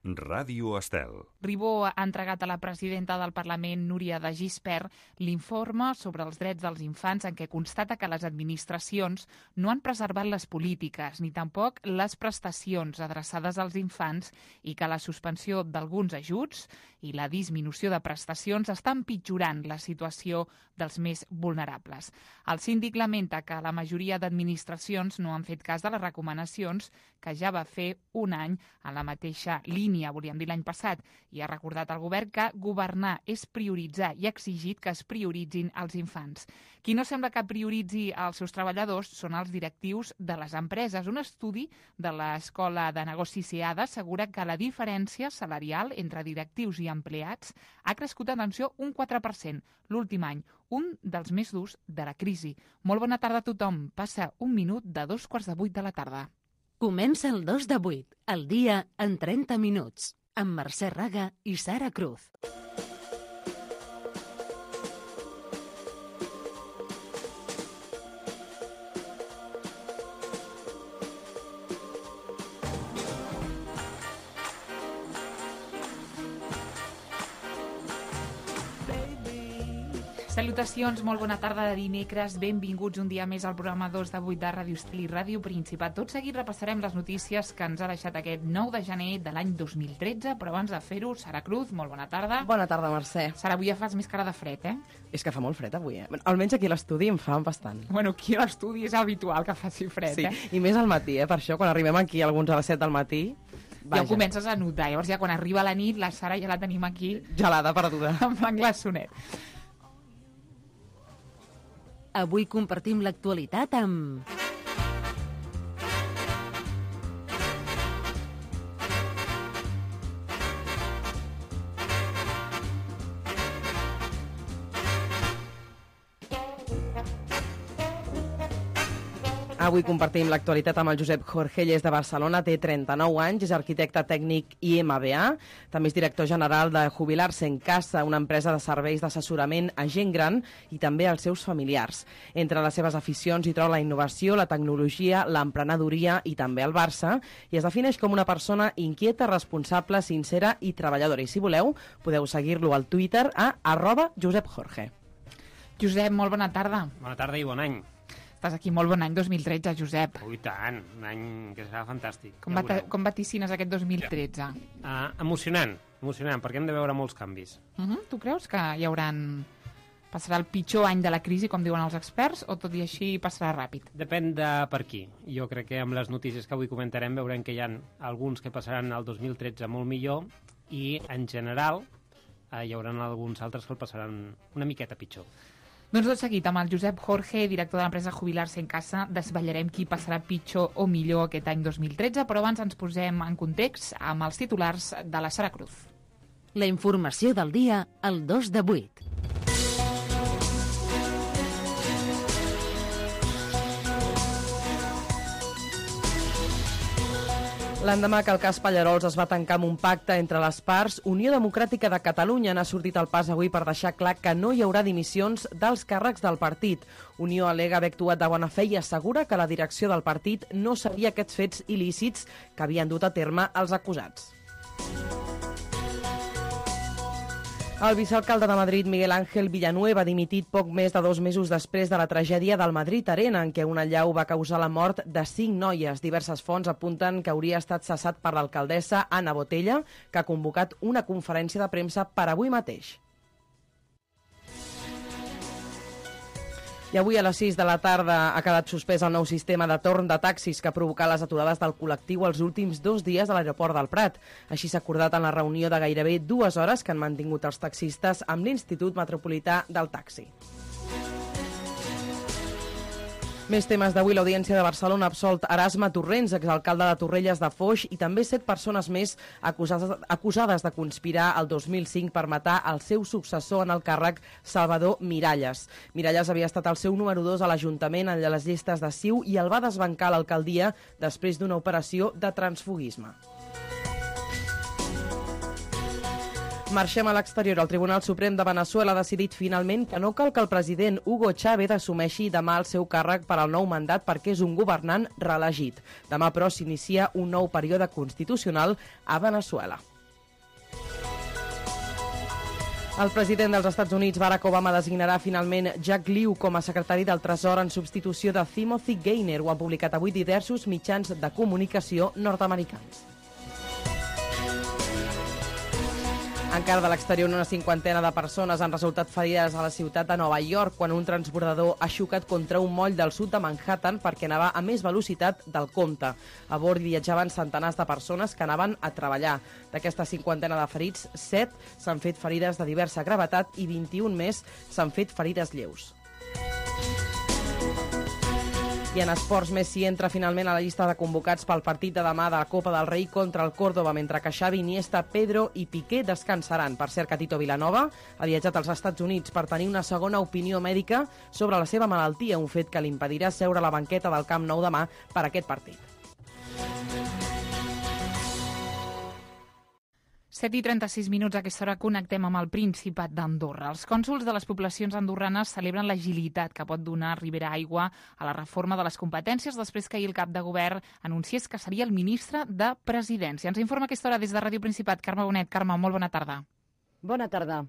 Ràdio Estel. Ribó ha entregat a la presidenta del Parlament, Núria de Gispert, l'informe sobre els drets dels infants en què constata que les administracions no han preservat les polítiques ni tampoc les prestacions adreçades als infants i que la suspensió d'alguns ajuts i la disminució de prestacions està empitjorant la situació dels més vulnerables. El síndic lamenta que la majoria d'administracions no han fet cas de les recomanacions que ja va fer un any en la mateixa línia, volíem dir l'any passat, i ha recordat al govern que governar és prioritzar i ha exigit que es prioritzin els infants. Qui no sembla que prioritzi els seus treballadors són els directius de les empreses. Un estudi de l'Escola de Negocis CEADA assegura que la diferència salarial entre directius i empleats ha crescut, atenció, un 4% l'últim any, un dels més durs de la crisi. Molt bona tarda a tothom. Passa un minut de 2:15 de la tarda. Comença el 2 de 8, el dia en 30 minuts, amb Mercè Raga i Sara Cruz. Salutacions, molt bona tarda de dimecres, benvinguts un dia més al programa 2 de 8 de Ràdio Estel i Ràdio Principat. Tot seguit repassarem les notícies que ens ha deixat aquest 9 de gener de l'any 2013, però abans de fer-ho, Sara Cruz, molt bona tarda. Bona tarda, Mercè. Sara, avui ja fas més cara de fred, eh? És que fa molt fred avui, Almenys aquí a l'estudi em fa bastant. Bueno, aquí a l'estudi és habitual que faci fred, sí, eh? I més al matí, Per això, quan arribem aquí alguns a les 7 del matí... Ja ho comences a notar, llavors ja quan arriba la nit, la Sara ja la tenim aquí... Gelada, perduda. Amb l'englassonet. Avui compartim l'actualitat amb... Avui compartim l'actualitat amb el Josep Jorge, ell és de Barcelona, té 39 anys, és arquitecte tècnic i MBA, també és director general de Jubilar-se en Casa, una empresa de serveis d'assessorament a gent gran i també als seus familiars. Entre les seves aficions hi troba la innovació, la tecnologia, l'emprenedoria i també el Barça, i es defineix com una persona inquieta, responsable, sincera i treballadora. I si voleu, podeu seguir-lo al Twitter a @JosepJorge. Josep, molt bona tarda. Bona tarda i bon any. Estàs aquí, molt bon any 2013, Josep. Ui, tant, un any que serà fantàstic. Com vaticines aquest 2013? Emocionant, perquè hem de veure molts canvis. Tu creus que passarà el pitjor any de la crisi, com diuen els experts, o tot i així passarà ràpid? Depèn de per qui. Jo crec que amb les notícies que avui comentarem veurem que hi ha alguns que passaran el 2013 molt millor i, en general, hi haurà alguns altres que el passaran una miqueta pitjor. Doncs tot seguit, amb el Josep Jorge, director de l'empresa Jubilar-se en Casa, desvetllarem qui passarà pitjor o millor aquest any 2013, però abans ens posem en context amb els titulars de la Sara Cruz. La informació del dia al 2 de 8. L'endemà que el cas Pallerols es va tancar amb un pacte entre les parts, Unió Democràtica de Catalunya n'ha sortit al pas avui per deixar clar que no hi haurà dimissions dels càrrecs del partit. Unió al·lega haver actuat de bona fe i assegura que la direcció del partit no sabia aquests fets il·lícits que havien dut a terme els acusats. El vicealcalde de Madrid, Miguel Ángel Villanueva, ha dimitit poc més de 2 mesos després de la tragèdia del Madrid Arena, en què un allau va causar la mort de 5 noies. Diverses fonts apunten que hauria estat cessat per l'alcaldessa Anna Botella, que ha convocat una conferència de premsa per avui mateix. I avui a les 6 de la tarda ha quedat suspès el nou sistema de torn de taxis que ha provocat les aturades del col·lectiu els últims 2 dies a l'aeroport del Prat. Així s'ha acordat en la reunió de gairebé 2 hores que han mantingut els taxistes amb l'Institut Metropolità del Taxi. Més temes d'avui. L'Audiència de Barcelona ha absolt Erasme Torrents, exalcalde de Torrelles de Foix, i també 7 persones més acusades de conspirar el 2005 per matar el seu successor en el càrrec, Salvador Miralles. Miralles havia estat el seu número 2 a l'Ajuntament en les llistes de CiU i el va desbancar a l'alcaldia després d'una operació de transfugisme. Marxem a l'exterior. El Tribunal Suprem de Veneçuela ha decidit finalment que no cal que el president Hugo Chávez assumeixi demà el seu càrrec per al nou mandat perquè és un governant reelegit. Demà, però, s'inicia un nou període constitucional a Veneçuela. El president dels Estats Units, Barack Obama, designarà finalment Jack Lew com a secretari del Tresor en substitució de Timothy Geithner. Ho han publicat avui diversos mitjans de comunicació nord-americans. Encara de l'exterior, una cinquantena de persones han resultat ferides a la ciutat de Nova York quan un transbordador ha xocat contra un moll del sud de Manhattan perquè anava a més velocitat del compte. A bord viatjaven centenars de persones que anaven a treballar. D'aquesta cinquantena de ferits, 7 s'han fet ferides de diversa gravetat i 21 més s'han fet ferides lleus. I en esports, Messi entra finalment a la llista de convocats pel partit de demà de la Copa del Rei contra el Córdoba, mentre que Xavi, Iniesta, Pedro i Piqué descansaran. Per cert, que Tito Vilanova ha viatjat als Estats Units per tenir una segona opinió mèdica sobre la seva malaltia, un fet que li impedirà seure a la banqueta del Camp Nou demà per aquest partit. 7:36, a aquesta hora connectem amb el Principat d'Andorra. Els cònsols de les poblacions andorranes celebren l'agilitat que pot donar Ribera Aigua a la reforma de les competències després que ahir el cap de govern anunciés que seria el ministre de Presidència. Ens informa a aquesta hora des de Ràdio Principat Carme Bonet. Carme, molt bona tarda. Bona tarda.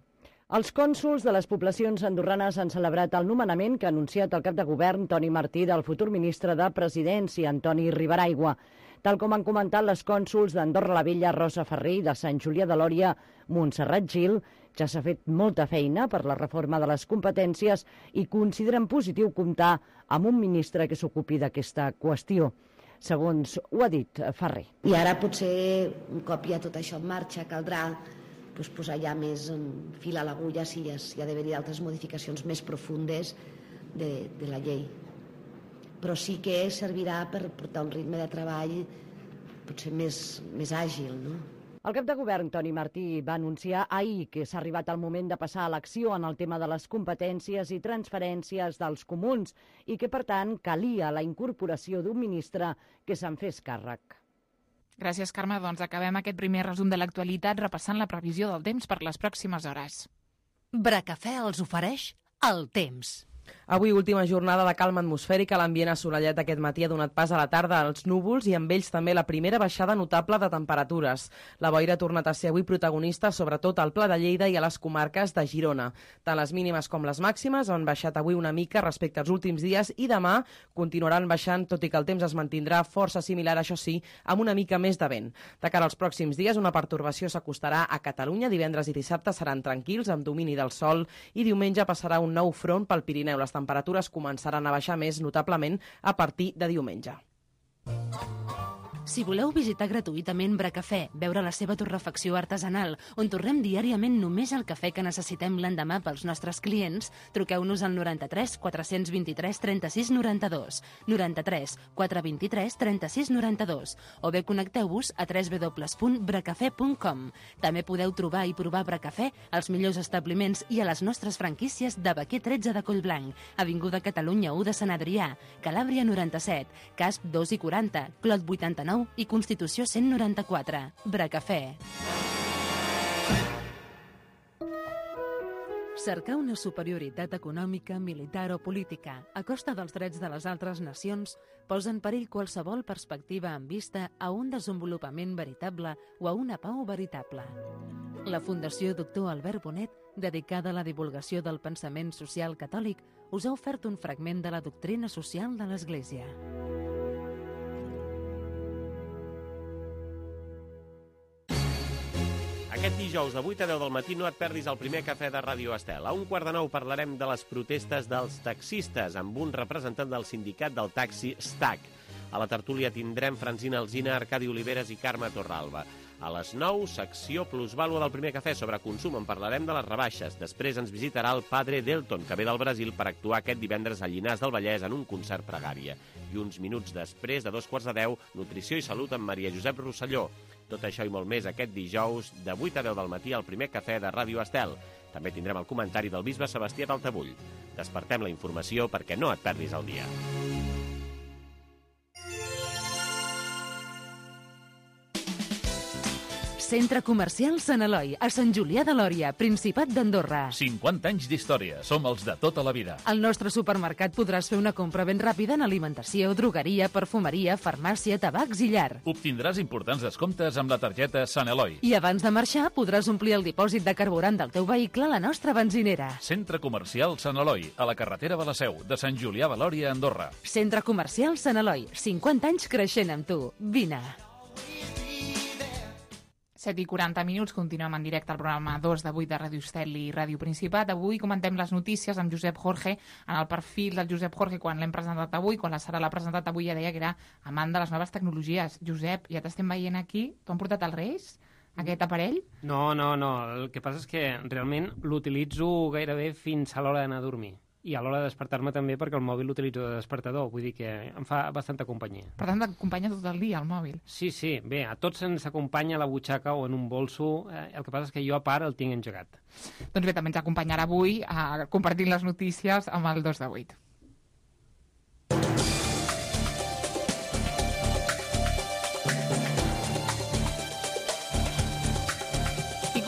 Els cònsols de les poblacions andorranes han celebrat el nomenament que ha anunciat el cap de govern Toni Martí del futur ministre de Presidència, Antoni Ribera Aigua. Tal com han comentat les cònsols d'Andorra la Vella, Rosa Ferrer, i de Sant Julià de Lòria, Montserrat Gil, ja s'ha fet molta feina per la reforma de les competències i consideren positiu comptar amb un ministre que s'ocupi d'aquesta qüestió. Segons ho ha dit Ferrer. I ara potser, un cop ja tot això en marxa, caldrà posar ja més fil a l'agulla si hi ha d'haver-hi altres modificacions més profundes de la llei. Però sí que servirà per portar un ritme de treball potser més àgil, no? El cap de govern, Toni Martí, va anunciar ahir que s'ha arribat el moment de passar a l'acció en el tema de les competències i transferències dels comuns i que, per tant, calia la incorporació d'un ministre que se'n fes càrrec. Gràcies, Carme. Doncs acabem aquest primer resum de l'actualitat repassant la previsió del temps per les pròximes hores. Bracafè els ofereix el temps. Avui, última jornada de calma atmosfèrica, l'ambient assolellat aquest matí ha donat pas a la tarda als núvols i amb ells també la primera baixada notable de temperatures. La boira ha tornat a ser avui protagonista, sobretot al Pla de Lleida i a les comarques de Girona. Tant les mínimes com les màximes han baixat avui una mica respecte als últims dies i demà continuaran baixant, tot i que el temps es mantindrà força similar, això sí, amb una mica més de vent. De cara als pròxims dies, una pertorbació s'acostarà a Catalunya. Divendres i dissabte seran tranquils, amb domini del sol, i diumenge passarà un nou front pel Pirineu. Les temperatures començaran a baixar més notablement a partir de diumenge. Si voleu visitar gratuïtament Bracafè, veure la seva torrefacció artesanal, on torrem diàriament només el cafè que necessitem l'endemà pels nostres clients, truqueu-nos al 93 423 36 92, 93 423 36 92, o bé connecteu-vos a www.bracafè.com. També podeu trobar i provar Bracafè als millors establiments i a les nostres franquícies de Baquer 13 de Collblanc, Avinguda Catalunya 1 de Sant Adrià, Calàbria 97, Casp 2 i 40, Clot 89 i Constitució 194. Bracafè. Cercar una superioritat econòmica, militar o política a costa dels drets de les altres nacions posa en perill qualsevol perspectiva en vista a un desenvolupament veritable o a una pau veritable. La Fundació Doctor Albert Bonet, dedicada a la divulgació del pensament social catòlic, us ha ofert un fragment de la doctrina social de l'Església. Aquest dijous de 8 a 10 del matí no et perdis el primer cafè de Ràdio Estel. A 1:15 parlarem de les protestes dels taxistes amb un representant del sindicat del taxi STAC. A la tertúlia tindrem Francina Alsina, Arcadi Oliveres i Carme Torralba. A les 9, secció plusvàlua del primer cafè sobre consum. En parlarem de les rebaixes. Després ens visitarà el Padre Delton, que ve del Brasil per actuar aquest divendres a Llinars del Vallès en un concert pregària. I uns minuts després, de 9:45, nutrició i salut amb Maria Josep Rosselló. Tot això i molt més aquest dijous de 8 a 10 del matí al primer cafè de Ràdio Estel. També tindrem el comentari del bisbe Sebastià d'Altabull. Despertem la informació perquè no et perdis el dia. Centre Comercial Sant Eloi, a Sant Julià de Lòria, Principat d'Andorra. 50 anys d'història. Som els de tota la vida. Al nostre supermercat podràs fer una compra ben ràpida en alimentació, drogueria, perfumeria, farmàcia, tabacs i llar. Obtindràs importants descomptes amb la targeta Sant Eloi. I abans de marxar podràs omplir el dipòsit de carburant del teu vehicle a la nostra benzinera. Centre Comercial Sant Eloi, a la carretera de la Seu, de Sant Julià de Lòria, Andorra. Centre Comercial Sant Eloi, 50 anys creixent amb tu. Vine. 7:40, continuem en directe al programa 2 d'avui de Ràdio Estel i Ràdio Principat. Avui comentem les notícies amb Josep Jorge. En el perfil del Josep Jorge, quan l'hem presentat avui, quan la Sara l'ha presentat avui, ja deia que era amant de les noves tecnologies. Josep, ja t'estem veient aquí. T'ho han portat als Reis, aquest aparell? No. El que passa és que realment l'utilitzo gairebé fins a l'hora d'anar a dormir. I a l'hora de despertar-me també, perquè el mòbil l'utilitzo de despertador, vull dir que em fa bastanta companyia. Per tant, t'acompanya tot el dia, el mòbil. Sí, bé, a tots ens acompanya a la butxaca o en un bolso, el que passa és que jo a part el tinc engegat. Doncs bé, també ens acompanyarà avui compartint les notícies amb el 2 de 8.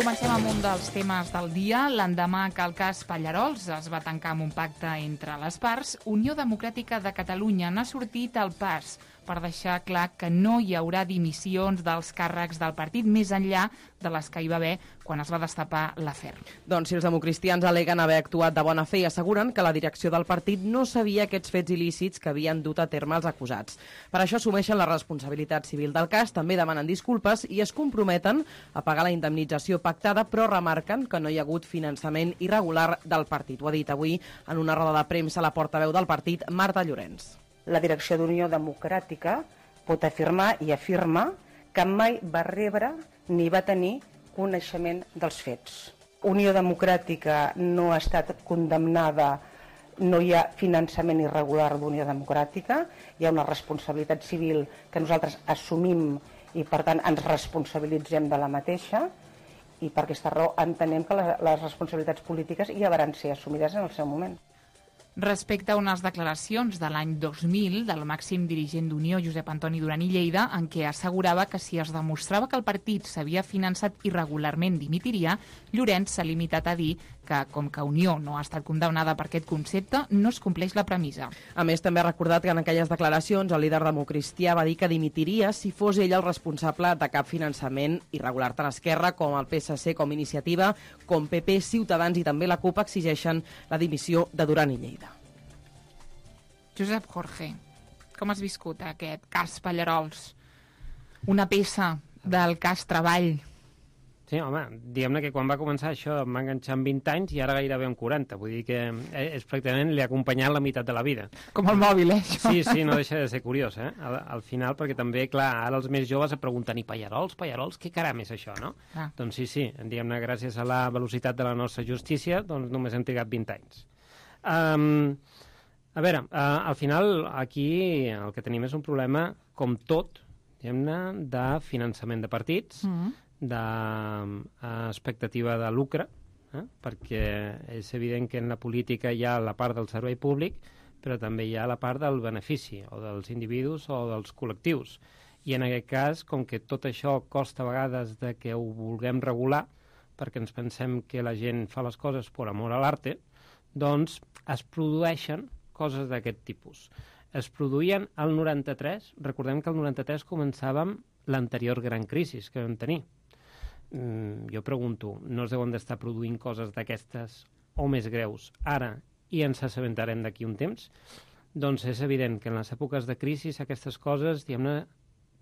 Comencem amb un dels temes del dia. L'endemà que el cas Pallarols es va tancar amb un pacte entre les parts, Unió Democràtica de Catalunya n'ha sortit al pas per deixar clar que no hi haurà dimissions dels càrrecs del partit més enllà de les que hi va haver quan es va destapar l'afer. Doncs si els democristians aleguen haver actuat de bona fe i asseguren que la direcció del partit no sabia aquests fets il·lícits que havien dut a terme els acusats. Per això assumeixen la responsabilitat civil del cas, també demanen disculpes i es comprometen a pagar la indemnització pactada, però remarquen que no hi ha hagut finançament irregular del partit. Ho ha dit avui en una roda de premsa la portaveu del partit, Marta Llorenç. La direcció d'Unió Democràtica pot afirmar i afirma que mai va rebre ni va tenir coneixement dels fets. Unió Democràtica no ha estat condemnada, no hi ha finançament irregular d'Unió Democràtica, hi ha una responsabilitat civil que nosaltres assumim i per tant ens responsabilitzem de la mateixa i per aquesta raó entenem que les responsabilitats polítiques ja van ser assumides en el seu moment. Respecte a unes declaracions de l'any 2000 del màxim dirigent d'Unió, Josep Antoni Duran i Lleida, en què assegurava que si es demostrava que el partit s'havia finançat irregularment dimitiria, Llorenç s'ha limitat a dir que, com que Unió no ha estat condemnada per aquest concepte, no es compleix la premissa. A més, també ha recordat que en aquelles declaracions el líder democristià va dir que dimitiria si fos ell el responsable de cap finançament irregular. Tant Esquerra com el PSC, com Iniciativa, com PP, Ciutadans i també la CUP exigeixen la dimissió de Duran i Lleida. Josep Jorge, com has viscut aquest cas Pallarols? Una peça del cas Treball. Sí, home, diguem-ne que quan va començar això em va enganxar amb 20 anys i ara gairebé amb 40. Vull dir que és pràcticament li ha acompanyat la meitat de la vida. Com el mòbil, això? Sí, no deixa de ser curiós, al final, perquè també, clar, ara els més joves es pregunten i Pallarols, què caram és això, no? Ah. Doncs sí, diguem-ne, gràcies a la velocitat de la nostra justícia, doncs només hem trigat 20 anys. A veure, al final aquí el que tenim és un problema, com tot, diguem-ne, de finançament de partits, d'expectativa de lucre, perquè és evident que en la política hi ha la part del servei públic, però també hi ha la part del benefici, o dels individus o dels col·lectius. I en aquest cas, com que tot això costa a vegades de que ho vulguem regular, perquè ens pensem que la gent fa les coses per amor a l'arte, doncs es produeixen coses d'aquest tipus. Es produïen al 93, recordem que al 93 començàvem l'anterior gran crisi que vam tenir. Jo pregunto, no es deuen d'estar produint coses d'aquestes o més greus ara i ens assabentarem d'aquí un temps? Doncs és evident que en les èpoques de crisi aquestes coses, diguem-ne,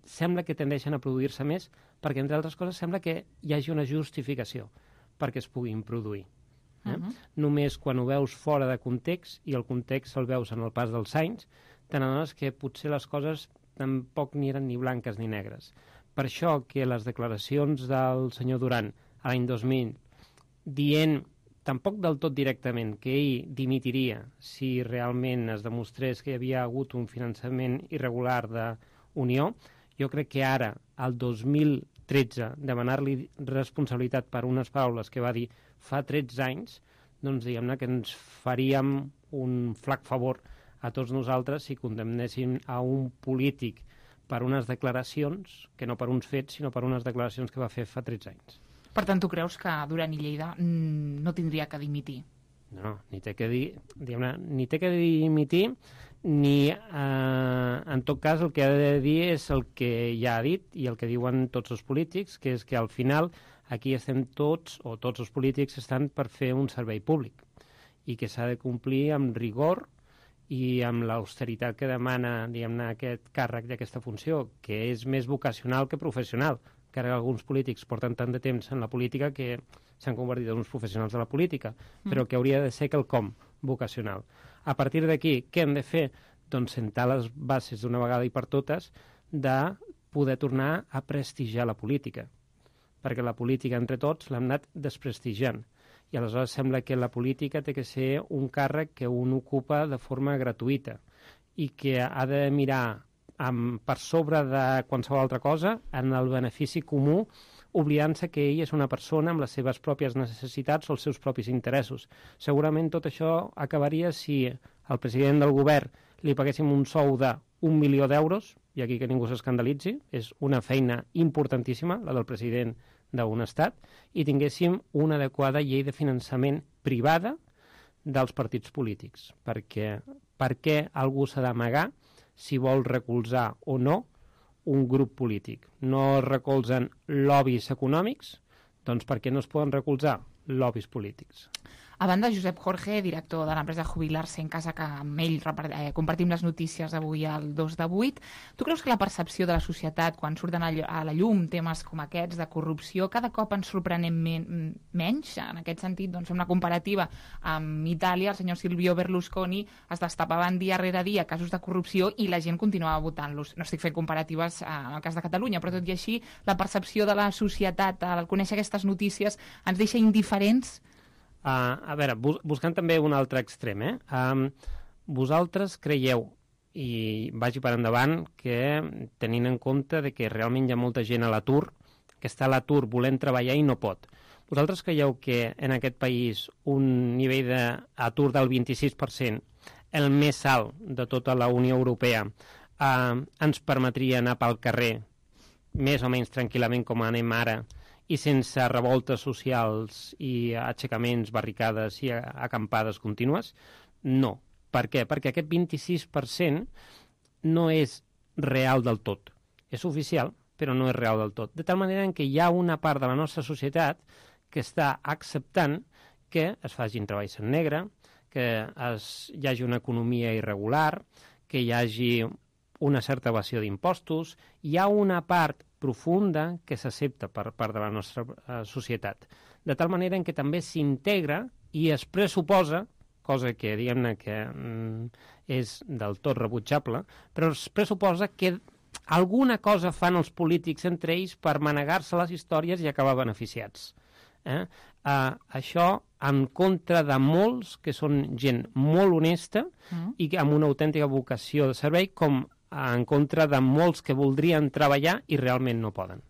sembla que tendeixen a produir-se més perquè, entre altres coses, sembla que hi hagi una justificació perquè es puguin produir. Només quan ho veus fora de context, i el context el veus en el pas dels anys, te n'adones que potser les coses tampoc ni eren ni blanques ni negres. Per això que les declaracions del senyor Duran a l'any 2000 dient, tampoc del tot directament, que ell dimitiria si realment es demostrés que hi havia hagut un finançament irregular d'Unió, jo crec que ara, al 2013, demanar-li responsabilitat per unes paraules que va dir fa 13 anys, doncs diguem-ne que ens faríem un flac favor a tots nosaltres si condemnéssim a un polític per unes declaracions, que no per uns fets, sinó per unes declaracions que va fer fa 13 anys. Per tant, tu creus que Duran i Lleida no tindria que dimitir? No, ni té que dimitir, ni en tot cas el que ha de dir és el que ja ha dit i el que diuen tots els polítics, que és que al final aquí estem tots, o tots els polítics estan per fer un servei públic i que s'ha de complir amb rigor i amb l'austeritat que demana, diguem-ne, aquest càrrec d'aquesta funció, que és més vocacional que professional, que ara alguns polítics porten tant de temps en la política que s'han convertit en uns professionals de la política, però que hauria de ser quelcom vocacional. A partir d'aquí, què hem de fer? Doncs sentar les bases d'una vegada i per totes de poder tornar a prestigiar la política, perquè la política entre tots l'hem anat desprestigiant. I aleshores sembla que la política té que ser un càrrec que un ocupa de forma gratuïta i que ha de mirar per sobre de qualsevol altra cosa en el benefici comú, oblidant-se que ell és una persona amb les seves pròpies necessitats o els seus propis interessos. Segurament tot això acabaria si al president del govern li paguéssim un sou de 1 milió d'euros, i aquí que ningú s'escandalitzi, és una feina importantíssima, la del president d'un estat, i tinguéssim una adequada llei de finançament privada dels partits polítics. Perquè per què algú s'ha d'amagar si vol recolzar o no un grup polític? No es recolzen lobbies econòmics, doncs per què no es poden recolzar lobbies polítics? A banda, Josep Jorge, director de l'empresa Jubilar-se en Casa, que amb ell compartim les notícies avui al 2 de 8, tu creus que la percepció de la societat, quan surten a la llum temes com aquests de corrupció, cada cop ens sorprenem menys? En aquest sentit, doncs, fem una comparativa amb Itàlia, el senyor Silvio Berlusconi es destapaven dia rere dia casos de corrupció i la gent continuava votant-los. No estic fent comparatives en el cas de Catalunya, però tot i així, la percepció de la societat al conèixer aquestes notícies ens deixa indiferents? A veure, buscant també un altre extrem, vosaltres creieu, i vagi per endavant, que tenint en compte de que realment hi ha molta gent a l'atur, que està a l'atur volent treballar i no pot. Vosaltres creieu que en aquest país un nivell d'atur del 26%, el més alt de tota la Unió Europea, ens permetria anar pel carrer més o menys tranquil·lament com anem ara, i sense revoltes socials i aixecaments, barricades i acampades contínues? No. Per què? Perquè aquest 26% no és real del tot. És oficial, però no és real del tot. De tal manera que hi ha una part de la nostra societat que està acceptant que es facin treballs en negre, que hi hagi una economia irregular, que hi hagi una certa evasió d'impostos. Hi ha una part profunda que s'accepta per part de la nostra societat. De tal manera en què també s'integra i es pressuposa, cosa que diguem-ne que és del tot rebutjable, però es pressuposa que alguna cosa fan els polítics entre ells per manegar-se les històries i acabar beneficiats. Això en contra de molts que són gent molt honesta i amb una autèntica vocació de servei, com en contra de molts que voldrien treballar i realment no poden.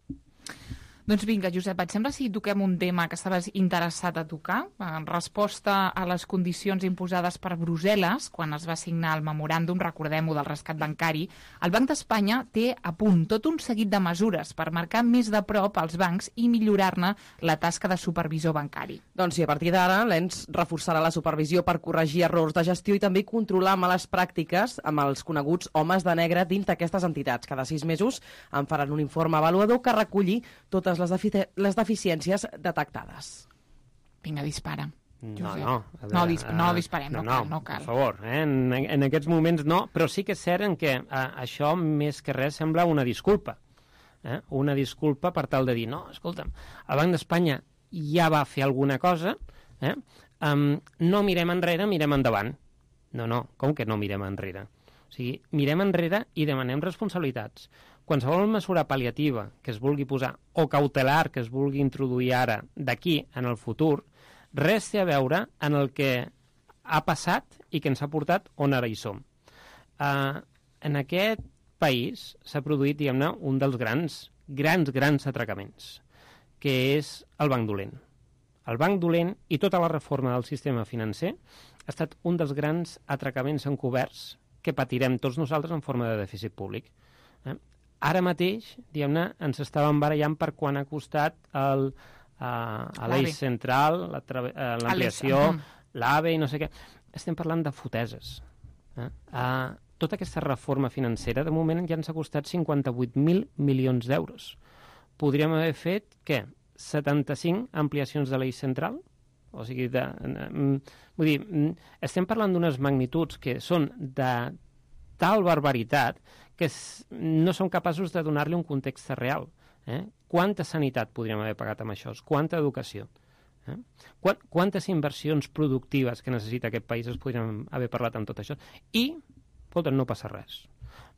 Doncs vinga, Josep, et sembla si toquem un tema que estaves interessat a tocar? En resposta a les condicions imposades per Brussel·les, quan es va signar el memoràndum, recordem-ho, del rescat bancari, el Banc d'Espanya té a punt tot un seguit de mesures per marcar més de prop els bancs i millorar-ne la tasca de supervisor bancari. Doncs sí, a partir d'ara l'ENS reforçarà la supervisió per corregir errors de gestió i també controlar males pràctiques amb els coneguts homes de negre dins d'aquestes entitats. Cada 6 mesos en faran un informe avaluador que reculli totes les deficiències detectades. Vinga, dispara. No disparem, no cal. Per favor, en aquests moments no, però sí que és cert en què això més que res sembla una disculpa. Una disculpa per tal de dir, no, escolta'm, el Banc d'Espanya ja va fer alguna cosa, no mirem enrere, mirem endavant. No, com que no mirem enrere? O sigui, mirem enrere i demanem responsabilitats. Qualsevol mesura pal·liativa que es vulgui posar o cautelar que es vulgui introduir ara d'aquí en el futur, res té a veure en el que ha passat i que ens ha portat on ara hi som. En aquest país s'ha produït, diguem-ne, un dels grans atracaments, que és el Banc Dolent. El Banc Dolent i tota la reforma del sistema financer ha estat un dels grans atracaments encoberts que patirem tots nosaltres en forma de dèficit públic. ara mateix, diguem-ne, ens estàvem barallant per quan ha costat a l'eix central, l'ampliació, l'AVE i no sé què. Estem parlant de foteses. Tota aquesta reforma financera, de moment ja ens ha costat 58.000 milions d'euros. Podríem haver fet, què? 75 ampliacions de l'eix central? O sigui, vull dir, estem parlant d'unes magnituds que són de tal barbaritat que no som capaços de donar-li un context real. Quanta sanitat podríem haver pagat amb això? Quanta educació? Quantes inversions productives que necessita aquest país es podrien haver parlat amb tot això? I, escolta, no passa res.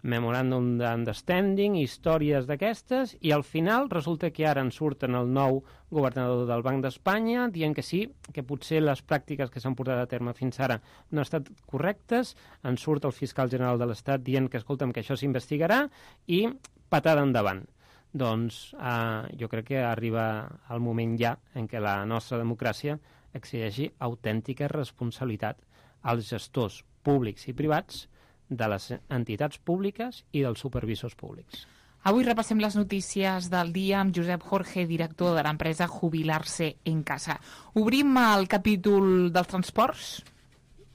Memoràndum d'understanding, històries d'aquestes, i al final resulta que ara en surten el nou governador del Banc d'Espanya dient que sí, que potser les pràctiques que s'han portat a terme fins ara no han estat correctes, en surt el fiscal general de l'Estat dient que, escolta'm, que això s'investigarà, i patada endavant. Doncs jo crec que arriba el moment ja en què la nostra democràcia exigeixi autèntica responsabilitat als gestors públics i privats de les entitats públiques i dels supervisors públics. Avui repassem les notícies del dia amb Josep Jorge, director de l'empresa Jubilar-se en Casa. Obrim el capítol dels transports.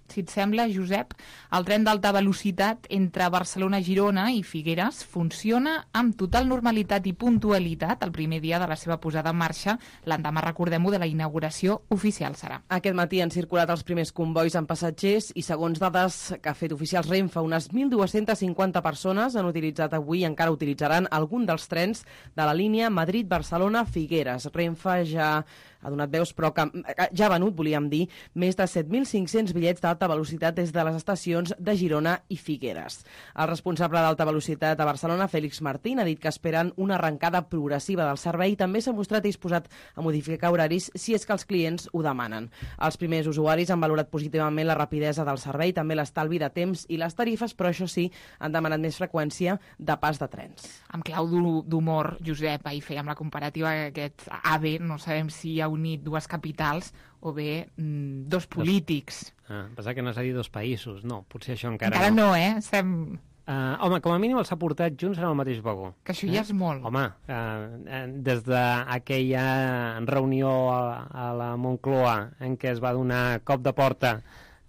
Si et sembla, Josep, el tren d'alta velocitat entre Barcelona, Girona i Figueres funciona amb total normalitat i puntualitat el primer dia de la seva posada en marxa. L'endemà, recordem-ho, de la inauguració oficial serà. Aquest matí han circulat els primers convois amb passatgers i, segons dades que ha fet oficials Renfe, unes 1.250 persones han utilitzat avui i encara utilitzaran algun dels trens de la línia Madrid-Barcelona-Figueres. Renfe ja ha donat veus, però que ja ha venut, volíem dir, més de 7.500 bitllets d'alta velocitat des de les estacions de Girona i Figueres. El responsable d'alta velocitat a Barcelona, Félix Martín, ha dit que esperen una arrencada progressiva del servei i també s'ha mostrat disposat a modificar horaris si és que els clients ho demanen. Els primers usuaris han valorat positivament la rapidesa del servei, també l'estalvi de temps i les tarifes, però això sí, han demanat més freqüència de pas de trens. Amb clau d'humor, Josep, ahir fèiem la comparativa que aquest AVE, no sabem si ha unit dues capitals o bé dos polítics. Pensava que no s'ha dit dos països. No, potser això encara no. Home, com a mínim els ha portat junts en el mateix vagó. Que això ja és molt. Home, des d'aquella reunió a la Moncloa en què es va donar cop de porta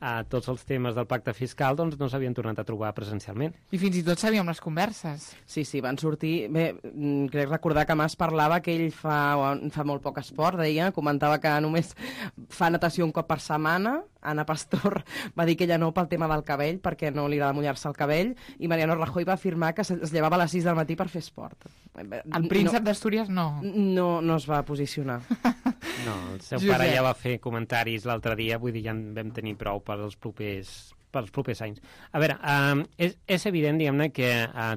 a tots els temes del pacte fiscal, doncs no s'havien tornat a trobar presencialment. I fins i tot sabíem les converses. Sí, van sortir... Bé, crec recordar que Mas parlava que ell fa molt poc esport, comentava que només fa natació un cop per setmana. Ana Pastor va dir que ella no pel tema del cabell, perquè no li agrada mullar-se el cabell, i Mariano Rajoy va afirmar que es llevava a les 6 del matí per fer esport. El príncep d'Astúries no. No es va posicionar. No, el seu pare ja va fer comentaris l'altre dia, vull dir, ja en vam tenir prou per als propers anys. A veure, és evident, diguem-ne, que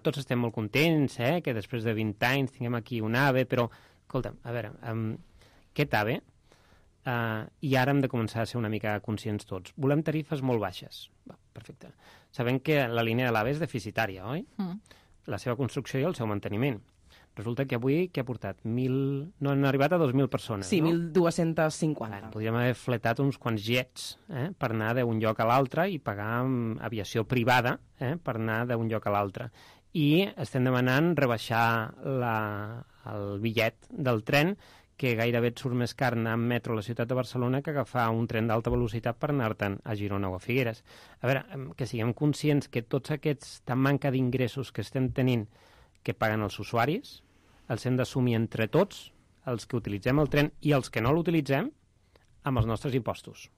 tots estem molt contents, que després de 20 anys tinguem aquí un AVE, però, escolta'm, a veure, aquest AVE, i ara hem de començar a ser una mica conscients tots. Volem tarifes molt baixes. Va, perfecte. Sabem que la línia de l'AVE és deficitària, oi? La seva construcció i el seu manteniment. Resulta que avui, què ha portat? No han arribat a 2.000 persones, sí, no? 1.250. Podríem haver fletat uns quants jets per anar d'un lloc a l'altre i pagar aviació privada per anar d'un lloc a l'altre. I estem demanant rebaixar el bitllet del tren, que gairebé et surt més car anar amb metro a la ciutat de Barcelona que agafar un tren d'alta velocitat per anar-te'n a Girona o a Figueres. A veure, que siguem conscients que tots aquesta manca d'ingressos que estem tenint que paguen els usuaris, els hem d'assumir entre tots, els que utilitzem el tren i els que no l'utilitzem, amb els nostres impostos.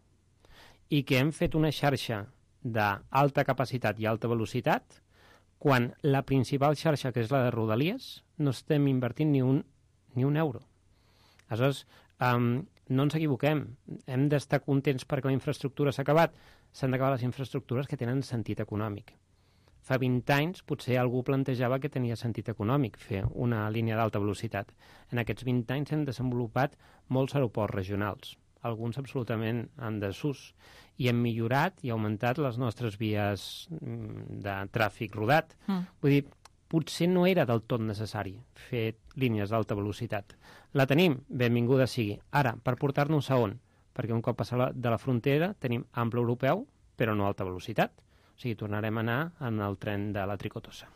I que hem fet una xarxa d'alta capacitat i alta velocitat quan la principal xarxa, que és la de Rodalies, no estem invertint ni un euro. Aleshores, no ens equivoquem. Hem d'estar contents perquè la infraestructura s'ha acabat. S'han d'acabar les infraestructures que tenen sentit econòmic. Fa 20 anys potser algú plantejava que tenia sentit econòmic fer una línia d'alta velocitat. En aquests 20 anys hem desenvolupat molts aeroports regionals, alguns absolutament en desús, i hem millorat i augmentat les nostres vies de tràfic rodat. Vull dir, potser no era del tot necessari fer línies d'alta velocitat. La tenim, benvinguda sigui. Ara, per portar-nos a on? Perquè un cop passar de la frontera tenim ample europeu, però no alta velocitat. O sigui, tornarem a anar en el tren de la Tricotosa.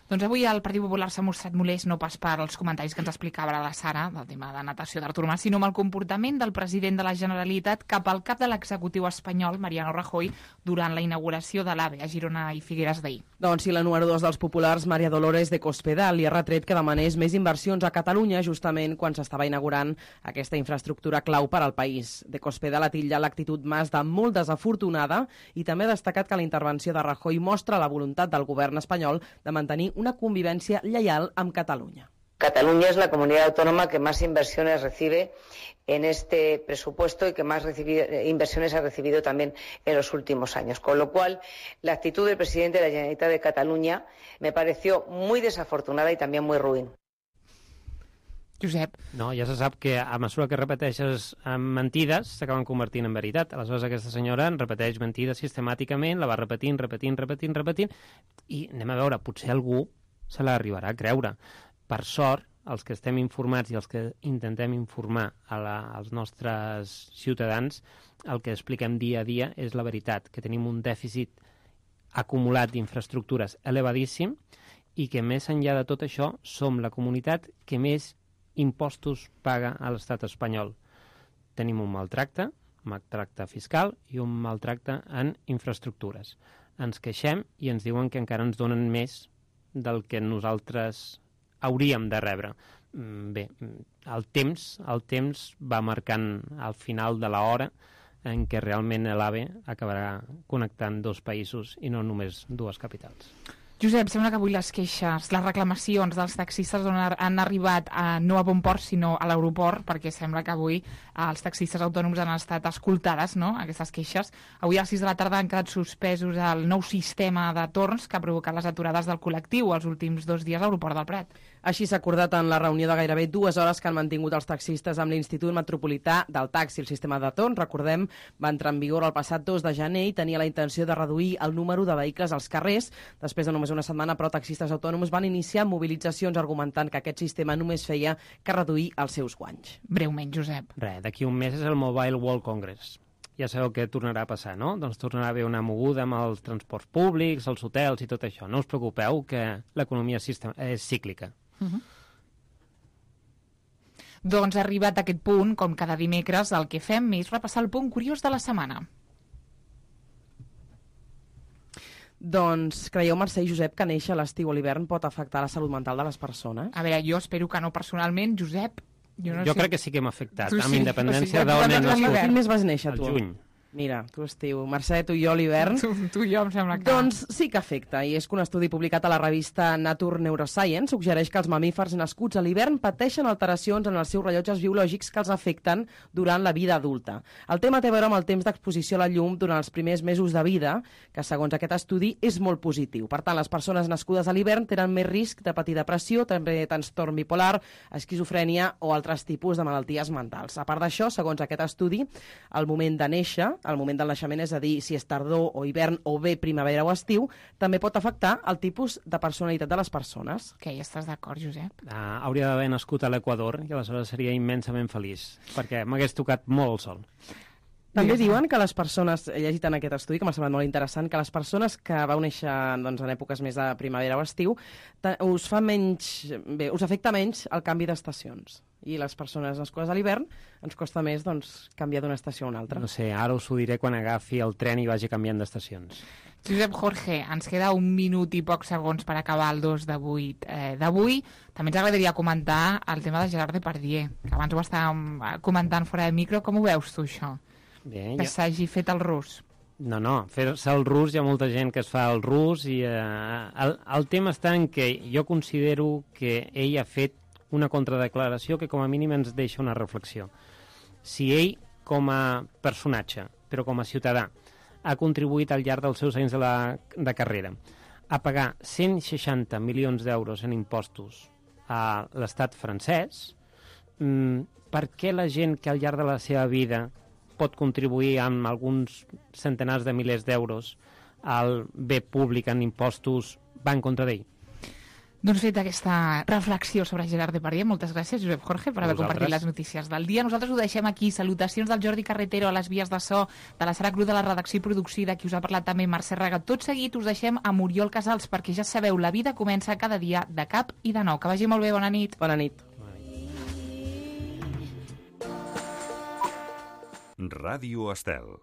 Doncs avui el Partit Popular s'ha mostrat molest no pas per als comentaris que ens explicava la Sara del tema de natació d'Artur Mas, sinó amb el comportament del president de la Generalitat cap al cap de l'executiu espanyol, Mariano Rajoy, durant la inauguració de l'AVE a Girona i Figueres d'ahir. Doncs si la número 2 dels populars, Maria Dolores de Cospedal, li ha retret que demanés més inversions a Catalunya justament quan s'estava inaugurant aquesta infraestructura clau per al país. De Cospedal ha titllat l'actitud Mas de molt desafortunada i també ha destacat que la intervenció de Rajoy mostra la voluntat del govern espanyol de mantenir una convivencia lleial amb Cataluña. Cataluña es la comunidad autónoma que más inversiones recibe en este presupuesto y que más inversiones ha recibido también en los últimos años. Con lo cual, la actitud del presidente de la Generalitat de Cataluña me pareció muy desafortunada y también muy ruin. Josep. No, ja se sap que a mesura que repeteixes mentides s'acaben convertint en veritat. Aleshores aquesta senyora en repeteix mentides sistemàticament, la va repetint, i anem a veure, potser algú se l'arribarà a creure. Per sort, els que estem informats i els que intentem informar als nostres ciutadans, el que expliquem dia a dia és la veritat, que tenim un dèficit acumulat d'infraestructures elevadíssim i que més enllà de tot això som la comunitat que més impostos paga a l'estat espanyol. Tenim un maltracte fiscal i un maltracte en infraestructures. Ens queixem i ens diuen que encara ens donen més del que nosaltres hauríem de rebre. Bé, el temps va marcant al final de l'hora en què realment l'AVE acabarà connectant dos països i no només dues capitals. Josep, sembla que avui les queixes, les reclamacions dels taxistes han arribat no a bon port, sinó a l'aeroport, perquè sembla que avui els taxistes autònoms han estat escoltades, no?, aquestes queixes. Avui a les 6 de la tarda han quedat suspesos el nou sistema de torns que ha provocat les aturades del col·lectiu els últims 2 dies a l'aeroport del Prat. Així s'ha acordat en la reunió de gairebé 2 hores que han mantingut els taxistes amb l'Institut Metropolità del Taxi. El sistema de torns, recordem, va entrar en vigor el passat 2 de gener i tenia la intenció de reduir el número de vehicles als carrers. Després de només una setmana, però, taxistes autònoms van iniciar mobilitzacions argumentant que aquest sistema només feia que reduir els seus guanys. Breument, Josep. Res, d'aquí un mes és el Mobile World Congress. Ja sabeu què tornarà a passar, no? Doncs tornarà a haver una moguda amb els transports públics, els hotels i tot això. No us preocupeu que l'economia és cíclica. Doncs arribat a aquest punt, com cada dimecres, el que fem és repassar el punt curiós de la setmana. Doncs creieu, Mercè i Josep, que néixer a l'estiu o l'hivern pot afectar la salut mental de les persones? A veure, jo espero que no personalment, Josep. Jo crec que sí que hem afectat, tu amb independència d'on hem nascut. Quin mes vas néixer, tu? Al juny. Mira, tu estiu, Mercè, tu i jo l'hivern. Tu i jo em sembla que... Doncs sí que afecta, i és que un estudi publicat a la revista Nature Neuroscience suggereix que els mamífers nascuts a l'hivern pateixen alteracions en els seus rellotges biològics que els afecten durant la vida adulta. El tema té a veure amb el temps d'exposició a la llum durant els primers mesos de vida, que segons aquest estudi és molt positiu. Per tant, les persones nascudes a l'hivern tenen més risc de patir depressió, també trastorn bipolar, esquizofrènia o altres tipus de malalties mentals. A part d'això, segons aquest estudi, el moment de néixer, el moment del naixement, és a dir, si és tardor o hivern o bé primavera o estiu, també pot afectar el tipus de personalitat de les persones. Que ja estàs d'acord, Josep? Hauria d'haver nascut a l'Equador i aleshores seria immensament feliç, perquè m'hagués tocat molt el sol. També diuen que les persones, he llegit en aquest estudi, que m'ha semblat molt interessant, que les persones que vau néixer doncs, en èpoques més de primavera o estiu, us afecta menys el canvi d'estacions. I les persones nascudes a l'hivern ens costa més canviar d'una estació a una altra. No sé, ara us ho diré quan agafi el tren i vagi canviant d'estacions. Josep Jorge, ens queda 1 minut i pocs segons per acabar el 2 de 8 d'avui. També ens agradaria comentar el tema de Gerard Depardieu, que abans ho estàvem comentant fora de micro. Com ho veus tu, això? Bé, que s'hagi fet el rus. No, fer-se el rus, hi ha molta gent que es fa el rus i el tema està en que jo considero que ell ha fet una contradeclaració que com a mínim ens deixa una reflexió. Si ell, com a personatge, però com a ciutadà, ha contribuït al llarg dels seus anys de carrera a pagar 160 milions d'euros en impostos a l'estat francès, per què la gent que al llarg de la seva vida pot contribuir amb alguns centenars de milers d'euros al bé públic en impostos va en contra d'ell? Doncs fet aquesta reflexió sobre Gerard Depardieu, moltes gràcies, Josep Jorge, per haver compartit les notícies del dia. Nosaltres ho deixem aquí. Salutacions del Jordi Carretero a les vies de so, de la Sara Cruz de la redacció i producció, de qui us ha parlat també Mercè Raga. Tot seguit us deixem amb Oriol Casals, perquè ja sabeu, la vida comença cada dia de cap i de nou. Que vagi molt bé, bona nit. Bona nit. Ràdio Estel.